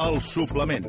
El suplement.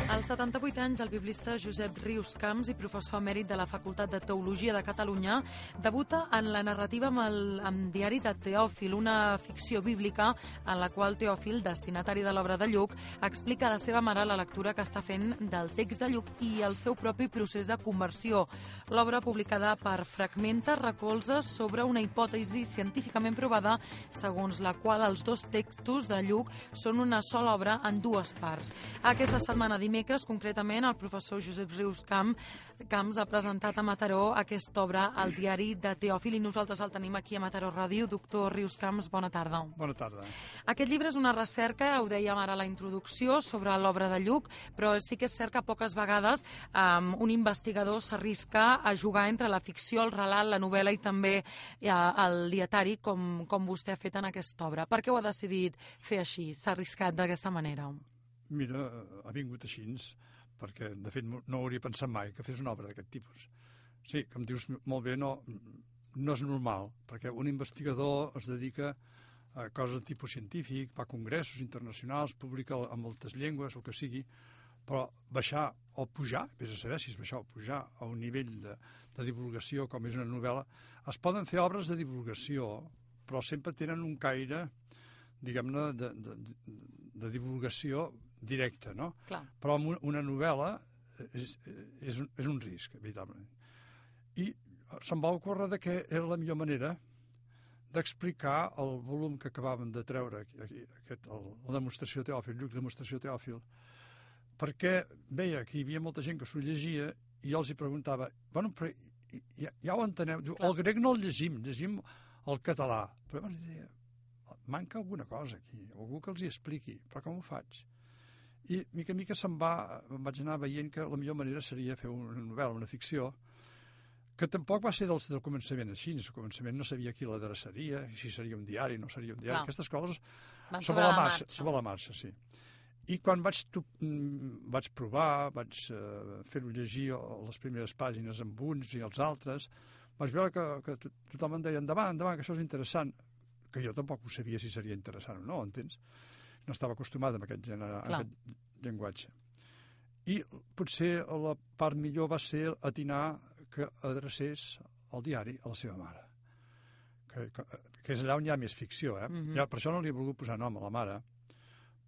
Als 78 anys, el biblista Josep Rius Camps i professor emèrit de la Facultat de Teologia de Catalunya debuta en la narrativa amb Diari de Teòfil, una ficció bíblica en la qual Teòfil, destinatari de l'obra de Lluc, explica a la seva mare la lectura que està fent del text de Lluc i el seu propi procés de conversió. L'obra, publicada per Fragmenta, recolza sobre una hipòtesi científicament provada segons la qual els dos textos de Lluc són una sola obra en dues parts. Aquesta setmana, dimecres, concretament, el professor Josep Rius Camps ha presentat a Mataró aquesta obra al Diari de Teòfil i nosaltres el tenim aquí a Mataró Ràdio. Doctor Rius Camps, bona tarda. Bona tarda. Aquest llibre és una recerca, ho dèiem ara a la introducció, sobre l'obra de Lluc, però sí que és cert que poques vegades un investigador s'arrisca a jugar entre la ficció, el relat, la novel·la i també el dietari, com vostè ha fet en aquesta obra. Per què ho ha decidit fer així? S'ha arriscat d'aquesta manera? Mira, ha vingut així, perquè, de fet, no hauria pensat mai que fes una obra d'aquest tipus. Sí, com dius molt bé, no és normal, perquè un investigador es dedica a coses de tipus científic, va a congressos internacionals, publica en moltes llengües, el que sigui, però baixar o pujar, vés a saber si és baixar o pujar a un nivell de divulgació com és una novel·la, es poden fer obres de divulgació, però sempre tenen un caire, diguem-ne, de divulgació directa, no? Clar. Però una novel·la és un risc, veritablement. I se'm va ocórrer que era la millor manera d'explicar el volum que acabàvem de treure, la demostració Teòfil, Lluc demostració Teòfil, perquè veia que hi havia molta gent que s'ho llegia i jo els hi preguntava, bueno, però ja ho enteneu, diu, el grec no el llegim el català, però llavors deia, manca alguna cosa aquí, algú que els hi expliqui, però com ho faig? I mica en mica em vaig anar veient que la millor manera seria fer una novel·la, una ficció, que tampoc va ser del començament així. Al començament no sabia qui l'adreçaria, si seria un diari, no seria un diari. Clar. Aquestes coses sobre la marxa, sí. I quan vaig provar, vaig fer-ho llegir les primeres pàgines amb uns i els altres, vaig veure que tothom em deia endavant, que això és interessant, que jo tampoc ho sabia si seria interessant o no, entens? No estava acostumat a aquest llenguatge. I potser la part millor va ser atinar que adrecés el diari a la seva mare, que és allà on hi ha més ficció. Ja, per això no li he volgut posar nom a la mare,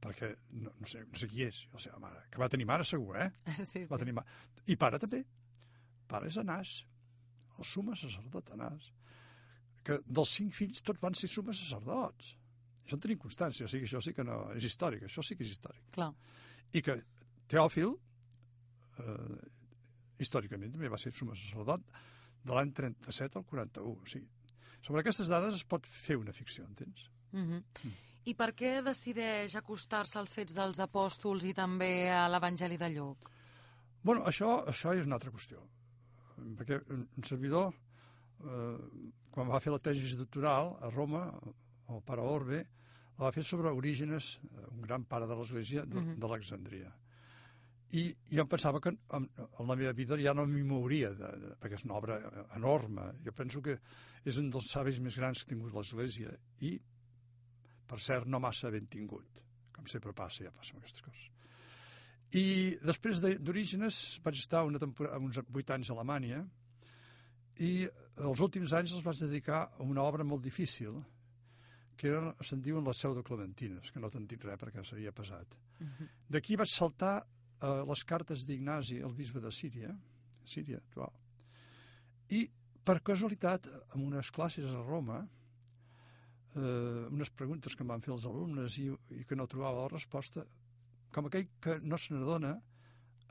perquè no sé qui és, la seva mare. Que va tenir mare, segur, Sí. Va tenir mare. I pare també. Pare és Anàs, el suma sacerdot Anàs, que dels 5 fills tots van ser sumes sacerdots. Això en tenim constància, o sigui, això sí que no és històric, això sí que és històric. Clar. I que Teòfil, històricament, també va ser suma sacerdot de l'any 37 al 41. O sigui, sobre aquestes dades es pot fer una ficció, entens? I per què decideix acostar-se als fets dels apòstols i també a l'Evangeli de Lluc? Bueno, això és una altra qüestió. Perquè un servidor, quan va fer la tesi doctoral a Roma, el pare Orbe, la va fer sobre Orígenes, un gran pare de l'Església d'Alexandria. I jo em pensava que en la meva vida ja no m'hi mouria, perquè és una obra enorme. Jo penso que és un dels savis més grans que ha tingut l'Església i, per cert, no massa ben tingut, com sempre passa, ja passen aquestes coses. I després d'Orígenes vaig estar uns 8 anys a Alemanya i els últims anys els vaig dedicar a una obra molt difícil, que se'n diuen les pseudoclementines, que no te'n dic res perquè seria pesat. D'aquí vaig saltar les cartes d'Ignasi, el bisbe de Síria actual, i per casualitat, en unes classes a Roma, unes preguntes que em van fer els alumnes i que no trobava la resposta, com aquell que no se n'adona,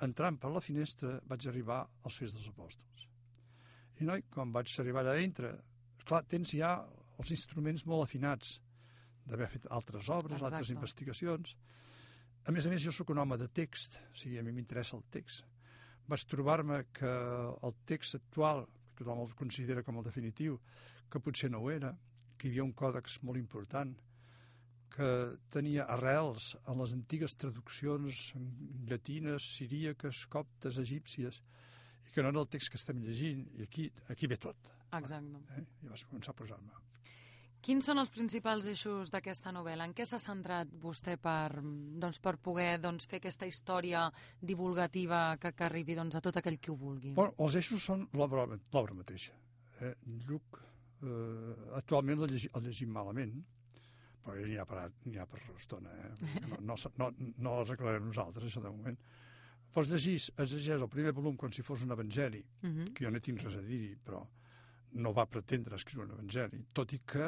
entrant per la finestra vaig arribar als Fets dels Apòstols. I noi, quan vaig arribar allà dintre, clar, tens ja els instruments molt afinats d'haver fet altres obres, altres investigacions. A més, jo sóc un home de text, o sigui, a mi m'interessa el text. vaig trobar-me que el text actual, que tothom el considera com el definitiu, que potser no ho era, que hi havia un còdex molt important, que tenia arrels en les antigues traduccions llatines, siríaques, coptes, egípcies, i que no era el text que estem llegint, i aquí ve tot. Exacte. I vaig començar a posar-me. Quins són els principals eixos d'aquesta novel·la? En què s'ha centrat vostè per poder fer aquesta història divulgativa que arribi a tot aquell qui ho vulgui? Bueno, els eixos són l'obra mateixa. Lluc, actualment el llegim malament, però ja n'hi ha per estona. No arreglarem nosaltres, això de moment. Però es llegeix el primer volum com si fos un evangeli, que jo no tinc res a dir-hi, però no va pretendre escriure un evangeli, tot i que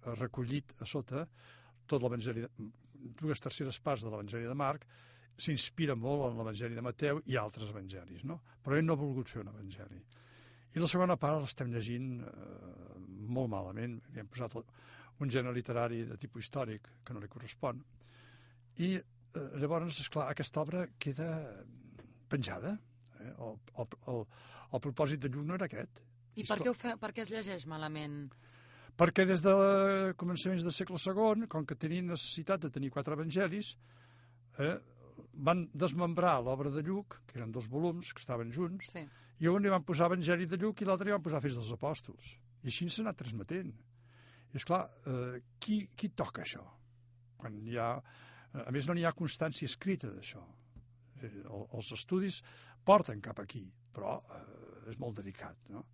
ha recollit a sota tot l'evangeli, 2/3 parts de l'evangeli de Marc, s'inspira molt en l'evangeli de Mateu i altres evangelis, no? Però ell no ha volgut fer un evangeli. I la segona part l'estem llegint molt malament, li hem posat un gènere literari de tipus històric que no li correspon, i llavors, esclar, aquesta obra queda penjada. El propòsit de Lluc no era aquest. I per què es llegeix malament? Perquè des de començaments del segle II, com que tenien necessitat de tenir 4 evangelis, van desmembrar l'obra de Lluc, que eren 2 volums, que estaven junts, sí. I un li van posar Evangeli de Lluc i l'altre li van posar Fets dels Apòstols. I així s'ha anat transmetent. I esclar, qui toca això? Quan hi ha... A més, no n'hi ha constància escrita d'això. Els estudis porten cap aquí, però és molt delicat, no?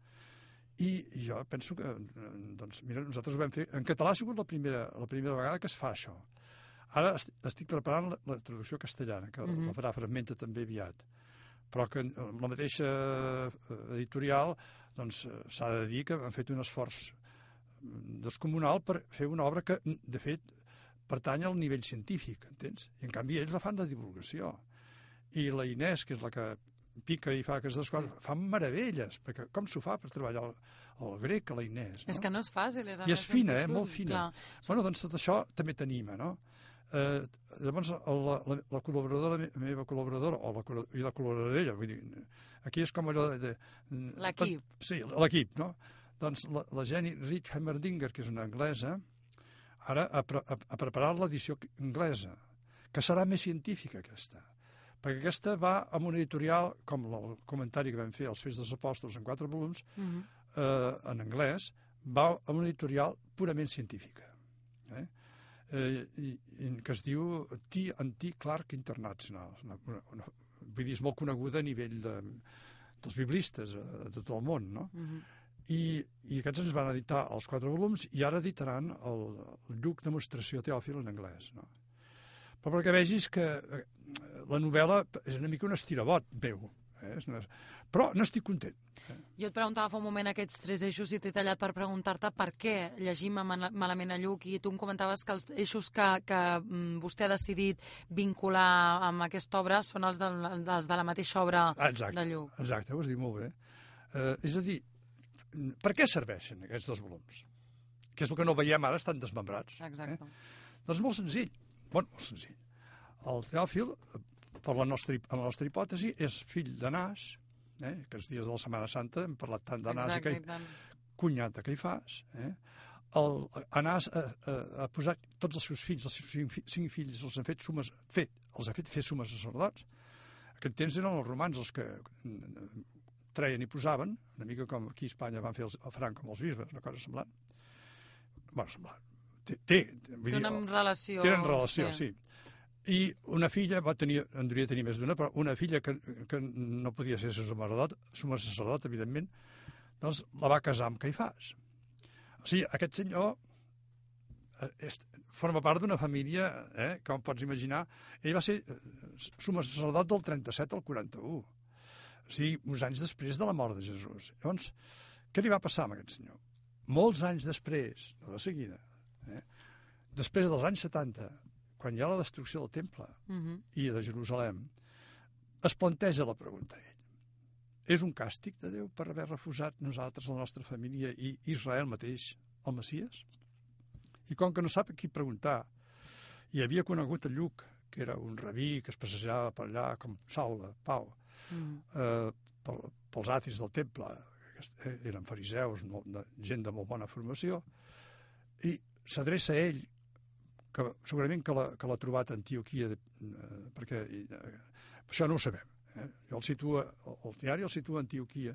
I jo penso que, doncs, mira, nosaltres ho vam fer... En català ha sigut la primera vegada que es fa això. Ara estic preparant la traducció castellana, que la farà Fragmenta també aviat. Però que la mateixa editorial, doncs, s'ha de dir que han fet un esforç descomunal per fer una obra que, de fet, pertany al nivell científic, entens? I, en canvi, ells la fan de divulgació. I la Inés, que és la que pica i fa aquestes coses, fan meravelles, perquè com s'ho fa per treballar el grec, a la Inés? És que no és fàcil. I és fina, molt fina. Bueno, doncs tot això també t'anima, no? Llavors, la col·laboradora, la meva col·laboradora, i la col·laboradora d'ella, vull dir, aquí és com allò de... L'equip. Sí, l'equip, no? Doncs la Jenny Rich Heimerdinger, que és una anglesa, ara ha preparat l'edició anglesa, que serà més científica aquesta, perquè aquesta va amb una editorial, com el comentari que vam fer als Fets dels Apòstols en 4 volums, en anglès, va amb una editorial purament científica, que es diu T&T Clark International. Vull dir, és molt coneguda a nivell dels biblistes de tot el món, no? I aquests ens van editar els 4 volums i ara editaran el Lluc Demostració Teòfil en anglès, no? Però perquè vegis que la novel·la és una mica un estirabot meu, però no estic content. Jo et preguntava fa un moment aquests 3 eixos i t'he tallat per preguntar-te per què llegim malament a Lluc, i tu em comentaves que els eixos que vostè ha decidit vincular amb aquesta obra són els de la mateixa obra de Lluc. Exacte, ho has dit molt bé. És a dir, per què serveixen aquests 2 volums? Que és el que no veiem ara, estan desmembrats. Exacte. Doncs molt senzill. Molt senzill. El Teòfil, per la nostra hipòtesi, és fill d'Anàs, aquests dies de la Setmana Santa hem parlat tant d'Anàs i cunyat de Caifàs. Anàs ha posat tots els seus fills, els seus 5 fills, els ha fet fer sumes sacerdots. Aquest temps eren els romans els que treien i posaven, una mica com aquí a Espanya van fer el Franco amb els bisbes, una cosa semblant. Bueno, semblant. Tenen relació. Tenen relació, sí. I una filla, en devia tenir més d'una, però una filla que no podia ser suma sacerdot, evidentment, doncs la va casar amb Caifàs. O sigui, aquest senyor forma part d'una família, com pots imaginar. Ell va ser suma sacerdot del 37 al 41. O sigui, uns anys després de la mort de Jesús. Llavors, què li va passar a aquest senyor? Molts anys després, no de seguida, després dels anys 70, quan hi ha la destrucció del temple i de Jerusalem, es planteja la pregunta a ell. És un càstig de Déu per haver refusat nosaltres, la nostra família i Israel mateix, el Messies? I com que no sap a qui preguntar, i havia conegut a Lluc, que era un rabí que es passejava per allà com Saula, Pau, pels atis del temple, eren fariseus, gent de molt bona formació, i s'adreça a ell, que segurament que l'ha trobat a Antioquia, perquè això no ho sabem. Jo el diari el situa a Antioquia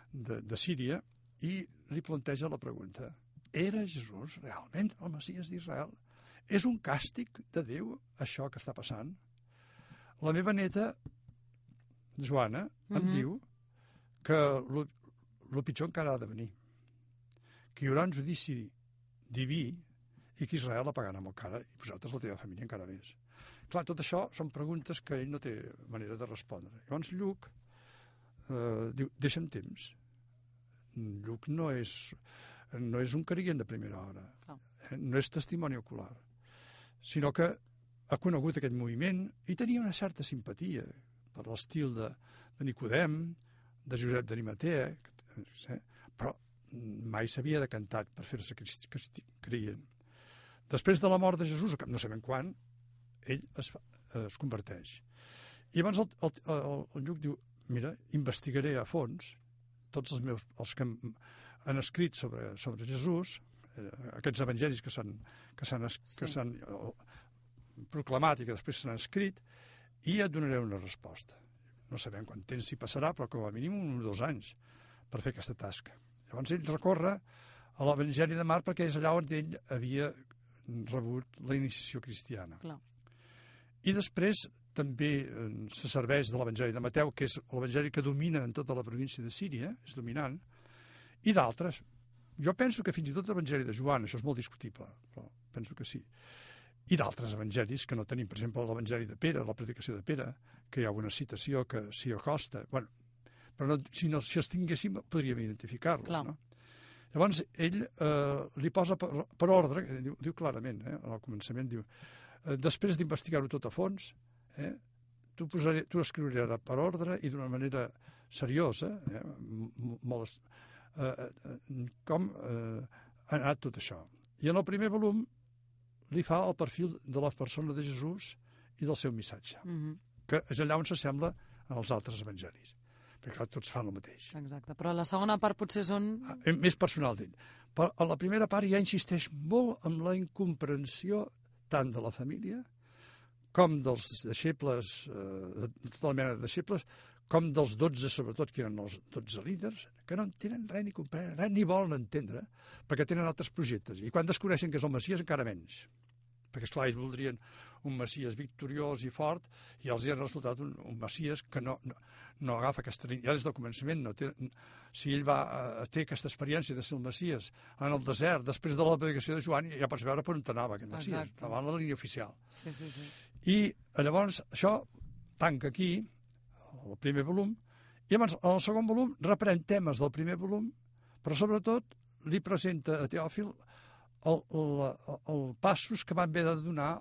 de Síria i li planteja la pregunta: era Jesús realment el Messies d'Israel? És un càstig de Déu això que està passant? La meva neta, Joana, em diu que el pitjor encara ha de venir, que hi haurà un judici diví i que Israel la pagarà molt cara, i vosaltres, la teva família, encara més. Clar, tot això són preguntes que ell no té manera de respondre. Llavors Lluc diu, deixa'm temps. Lluc no és un creient de primera hora, no és testimoni ocular, sinó que ha conegut aquest moviment i tenia una certa simpatia per l'estil de Nicodem, de Josep d'Arimatea, però mai s'havia decantat per fer-se creient. Després de la mort de Jesús, no sabem quan, ell es converteix. I llavors el Lluc diu, mira, investigaré a fons tots els que han escrit sobre Jesús, aquests evangelis que s'han proclamat i que després s'han escrit, i et donaré una resposta. No sabem quant temps s'hi passarà, però com a mínim 1 o 2 anys per fer aquesta tasca. Llavors ell recorre a l'Evangeli de Marc perquè és allà on ell havia rebut la iniciació cristiana. Clar. I després també se serveix de l'Evangeli de Mateu, que és l'Evangeli que domina en tota la província de Síria, és dominant, i d'altres. Jo penso que fins i tot l'Evangeli de Joan, això és molt discutible, però penso que sí. I d'altres evangelis que no tenim, per exemple, l'Evangeli de Pere, la predicació de Pere, que hi ha una citació que s'hi acosta. Bueno, però si els tinguéssim podríem identificar-los, no? Llavors, ell li posa per ordre, diu clarament, al començament, diu, després d'investigar-ho tot a fons, t'ho escriuré per ordre i d'una manera seriosa, com ha anat tot això. I en el primer volum li fa el perfil de la persona de Jesús i del seu missatge, que és allà on s'assembla als altres evangelis. Perquè clar, tots fan el mateix. Exacte, però la segona part potser són... Més personal d'ell. Però a la primera part ja insisteix molt en la incomprensió tant de la família com dels deixebles, de tota la mena de deixebles, com dels 12, sobretot, que eren els 12 líders, que no entenen res ni comprenen res, ni volen entendre, perquè tenen altres projectes. I quan descobreixen que és el Messies, encara menys. Perquè, esclar, ells voldrien un Messies victoriós i fort, i els hi ha resultat un Messies que no agafa aquesta línia. Ja des del començament, si ell té aquesta experiència de ser el Messies en el desert, després de la predicació de Joan, ja pots veure per on anava aquest Messies, anava en la línia oficial. Sí. I llavors això tanca aquí, el primer volum, i llavors en el segon volum reprèn temes del primer volum, però sobretot li presenta a Teòfil els passos que van haver de donar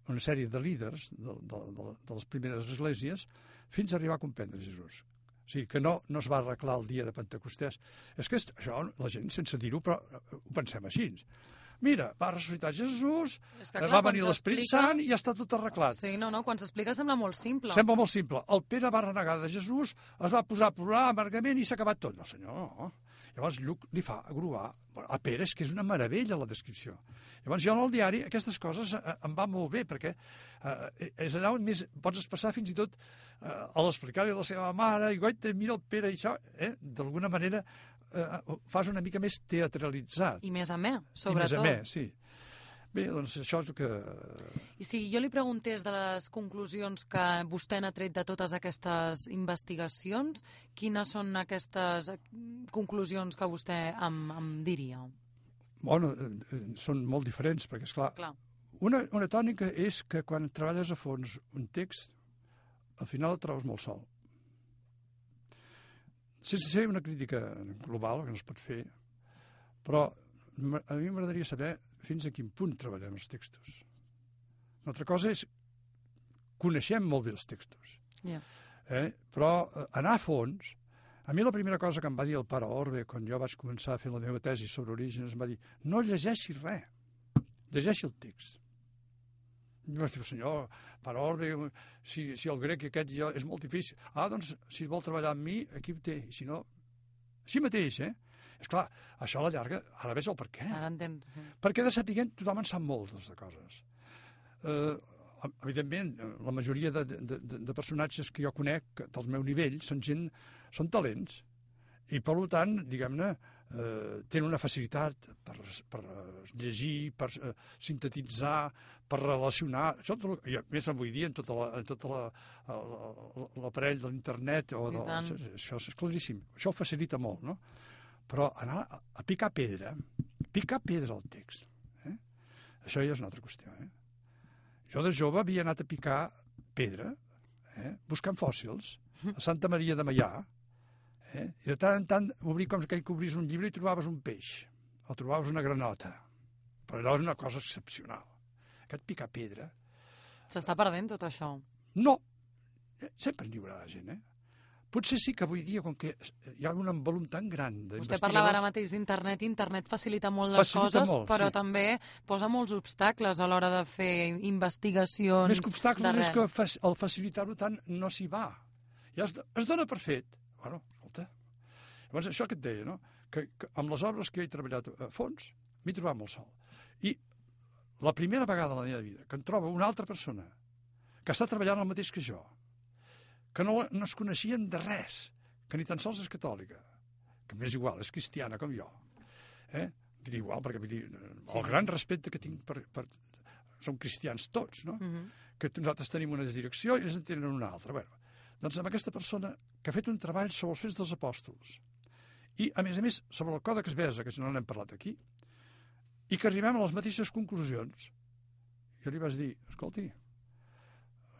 una sèrie de líders de les primeres esglésies fins a arribar a comprendre Jesús. O sigui, que no es va arreglar el dia de Pentecostès. És que això la gent, sense dir-ho, però ho pensem així. Mira, va ressuscitar Jesús, va venir l'Esperit Sant i ja està tot arreglat. Sí, quan s'explica sembla molt simple. Sembla molt simple. El Pere va renegar de Jesús, es va posar a plorar amargament i s'ha acabat tot. No, senyor, no. Llavors Lluc li fa agruar a Pere, és que és una meravella la descripció. Llavors jo en el diari aquestes coses em va molt bé, perquè és allà on més pots expressar fins i tot a l'explicar-li a la seva mare, i guaita, mira el Pere i això, d'alguna manera fas una mica més teatralitzat. I més amè, sobretot. I més amè, sí. Bé, doncs això és el que... I si jo li preguntés de les conclusions que vostè n'ha tret de totes aquestes investigacions, quines són aquestes conclusions que vostè em diria? Bueno, són molt diferents, perquè, esclar, una tònica és que quan treballes a fons un text, al final el trobes molt sol. Sense ser una crítica global, que no es pot fer, però a mi m'agradaria saber fins a quin punt treballem els textos. Una altra cosa és coneixem molt bé els textos, però anar a fons... A mi la primera cosa que em va dir el pare Orbe quan jo vaig començar a fer la meva tesi sobre Orígenes em va dir no llegeixi res, llegeixi el text. I vaig dir, senyor, pare Orbe, si el grec aquest ja és molt difícil. Doncs, si vol treballar amb mi, aquí ho té. I si no, així mateix, Esclar, això a la llarga, ara ves el per què. Ara entens. Perquè de saber tothom en sap moltes de coses. Evidentment, la majoria de personatges que jo conec del meu nivell són talents. I, per tant, diguem-ne, tenen una facilitat per llegir, per sintetitzar, per relacionar. I a més, avui dia, en tot l'aparell de l'internet, això és claríssim. Això ho facilita molt, no? Però anar a picar pedra al text, això ja és una altra qüestió. Jo de jove havia anat a picar pedra, buscant fòssils, a Santa Maria de Meià, i de tant en tant obrir com que obris un llibre i trobaves un peix, o trobaves una granota. Però allò és una cosa excepcional. Aquest picar pedra... S'està perdent tot això? No, sempre n'hi haurà de gent, Potser sí que avui dia, com que hi ha un volum tan gran d'investigadors... Vostè parlava ara mateix d'internet. Internet facilita molt les coses, però també posa molts obstacles a l'hora de fer investigacions. Més que obstacles és que al facilitar-ho tant no s'hi va. Ja es dona per fet. Bueno, escolta. Llavors, això que et deia, no? Que amb les obres que he treballat a fons m'he trobat molt sol. I la primera vegada a la meva vida que em trobo una altra persona que està treballant el mateix que jo, que no es coneixien de res, que ni tan sols és catòlica, que m'és igual, és cristiana com jo. Diria igual, perquè el gran respecte que tinc per... Som cristians tots, no? Que nosaltres tenim una direcció i ells en tenen una altra. Bé, doncs amb aquesta persona que ha fet un treball sobre els fets dels apòstols i, a més, sobre el Còdex Besa, que no n'hem parlat aquí, i que arribem a les mateixes conclusions. Jo li vaig dir, escolti,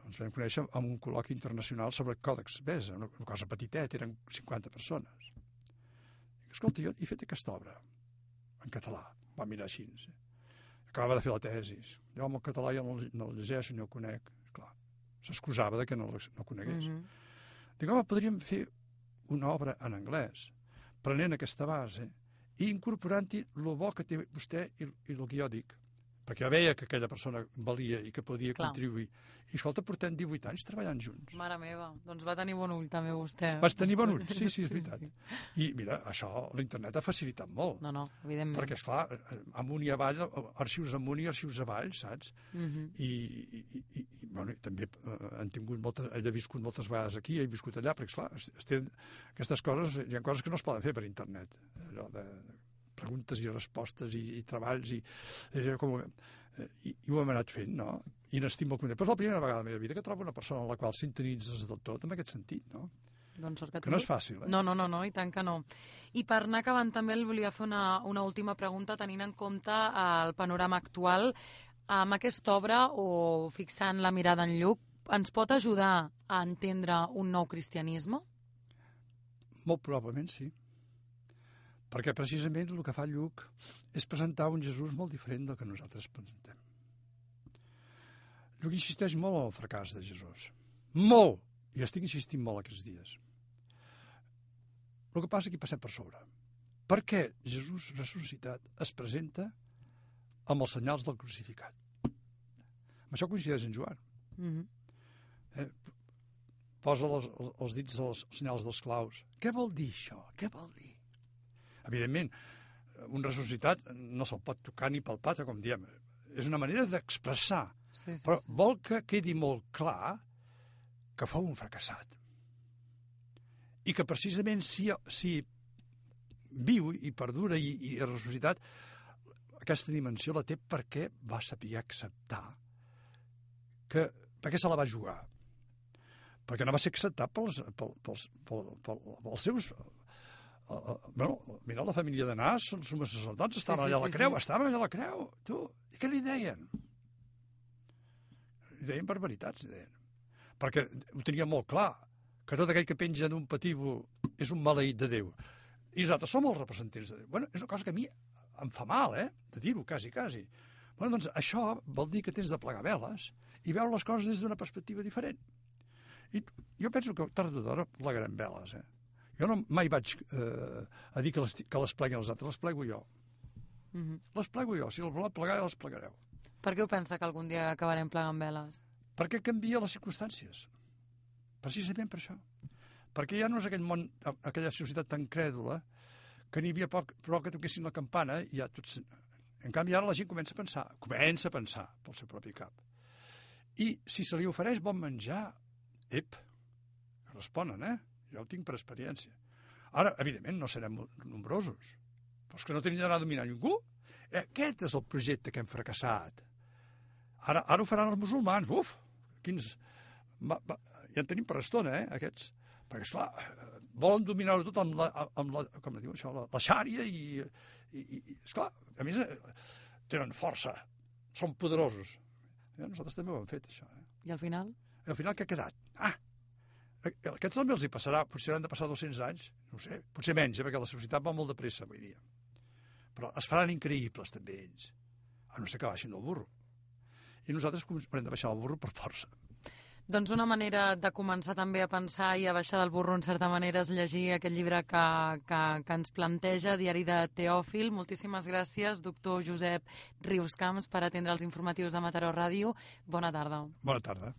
ens vam conèixer en un col·loqui internacional sobre el Còdex Besa, una cosa petitet, eren 50 persones. Dic, escolta, jo he fet aquesta obra en català, va mirar així. Acabava de fer la tesi. Jo amb el català jo no el llegeixo ni el conec. Clar, s'excusava de que no conegués. Dic, home, podríem fer una obra en anglès, prenent aquesta base i incorporant-hi el bo que té vostè i el que jo dic. Perquè jo veia que aquella persona valia i que podia contribuir. I, escolta, portem 18 anys treballant junts. Mare meva, doncs va tenir bon ull també vostè. Vaig tenir bon ull, sí, és veritat. I mira, això l'internet ha facilitat molt. No, evidentment. Perquè, esclar, amunt i avall, arxius amunt i arxius avall, saps? I bueno, també he viscut moltes vegades aquí, he viscut allà, perquè, esclar, aquestes coses, hi ha coses que no es poden fer per internet. Allò de preguntes i respostes i treballs i ho hem anat fent, no? I n'estimo el content. Però és la primera vegada de la meva vida que trobo una persona en la qual sintonitzes del tot, en aquest sentit, no? Doncs que no és fàcil, No, i tant que no. I per anar acabant també el volia fer una última pregunta, tenint en compte el panorama actual. Amb aquesta obra, o fixant la mirada en Lluc, ens pot ajudar a entendre un nou cristianisme? Molt probablement sí. Perquè precisament el que fa Lluc és presentar un Jesús molt diferent del que nosaltres presentem. Lluc insisteix molt en el fracàs de Jesús. Molt! I estic insistint molt aquests dies. El que passa és que hi passem per sobre. Per què Jesús ressuscitat es presenta amb els senyals del crucificat? Amb això coincideix en Joan. Posa els dits dels senyals dels claus. Què vol dir això? Què vol dir? Evidentment, un ressuscitat no se'l pot tocar ni palpar, com diem. És una manera d'expressar. Però vol que quedi molt clar que fou un fracassat. I que precisament si viu i perdura i és ressuscitat, aquesta dimensió la té perquè va saber acceptar perquè se la va jugar. Perquè no va ser acceptat pels seus... Mira, la família de Nas, els sumes sacerdots, estaven allà a la creu, tu. I què li deien? Li deien barbaritats, li deien. Perquè ho tenia molt clar, que tot aquell que penja d'un patíbul és un maleït de Déu. I nosaltres som els representants de Déu. Bueno, és una cosa que a mi em fa mal, de dir-ho, quasi. Bueno, doncs això vol dir que tens de plegar veles i veure les coses des d'una perspectiva diferent. I jo penso que tard o d'hora plegarem veles, Jo mai vaig a dir que les pleguen els altres, les plego jo. Les plego jo. Si les voleu plegar, les plegareu. Per què ho pensa que algun dia acabarem plegant veles? Perquè canvia les circumstàncies. Precisament per això. Perquè ja no és aquell món, aquella societat tan crèdula, que n'hi havia prou que toquessin la campana i ja tots... En canvi, ara la gent comença a pensar pel seu propi cap. I si se li ofereix bon menjar, que responen, Jo ho tinc per experiència. Ara, evidentment, no serem nombrosos, però és que no tenim d'anar a dominar ningú. Aquest és el projecte que hem fracassat. Ara ho faran els musulmans. Quins... Ja en tenim per estona, aquests. Perquè, esclar, volen dominar-ho tot amb la com diu això, la xària i esclar, a més, tenen força, són poderosos. Nosaltres també ho hem fet, això. I al final? I al final què ha quedat? Aquests també els hi passarà, potser han de passar 200 anys, no ho sé, potser menys, perquè la societat va molt de pressa avui dia. Però es faran increïbles també ells, a no ser que baixin del burro. I nosaltres haurem de baixar del burro per força. Doncs una manera de començar també a pensar i a baixar del burro en certa manera és llegir aquest llibre que ens planteja, Diari de Teòfil. Moltíssimes gràcies, doctor Josep Riuscamps, per atendre els informatius de Mataró Ràdio. Bona tarda. Bona tarda.